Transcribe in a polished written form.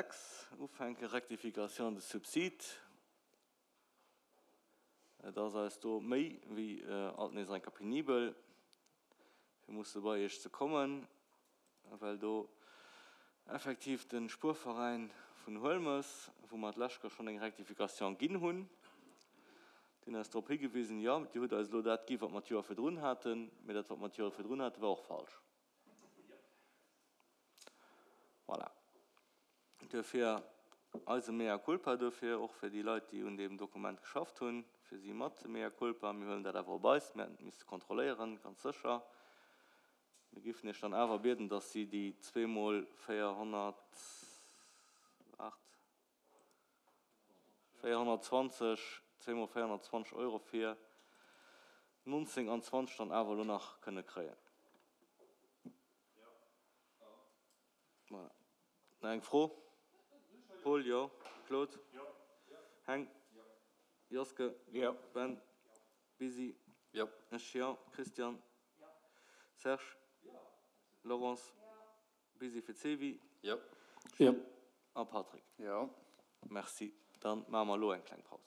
6 ufänken, Rectification de subside. Et ass eis do méi wéi alt nees eng Kéier penibel, fir musse bei Iech ze kommen, well do effektiv de Spuerveräin vun Huelmes, wou mer d'lescht Kéier schonn eng Rectification ginn hunn, déi hunn eis drop higewisen, jo, Dir hutt eis elo dat gi wat mer d'Joer virdrun haten, mee dat wat mer d'Joer virdrun haten, war och falsch. Voilà. Duerfir eise Mea culpa duerfir, och fir déi Leit, déi un deem Dokument geschafft hunn, fir si mat de Mea culpa. Mir huelen dat awer op eis. Mir hätten et misste kontrolléieren, ganz sécher. Mir géifen Iech dann awer bieden, dass si déi zweemol 408, 420, zweemol 420 Euro fir 19 an 20 dann awer elo nach kënne kréien. Voilà. Nach eng Fro? Paul, Jo. Claude? Heng? Joske? Ben? Busy? Ech, Jo. Christian? Serge? Laurence? Busy fir d'Sevi? Gilles? A Patrick? Merci. Dann maache mer elo eng kleng Paus.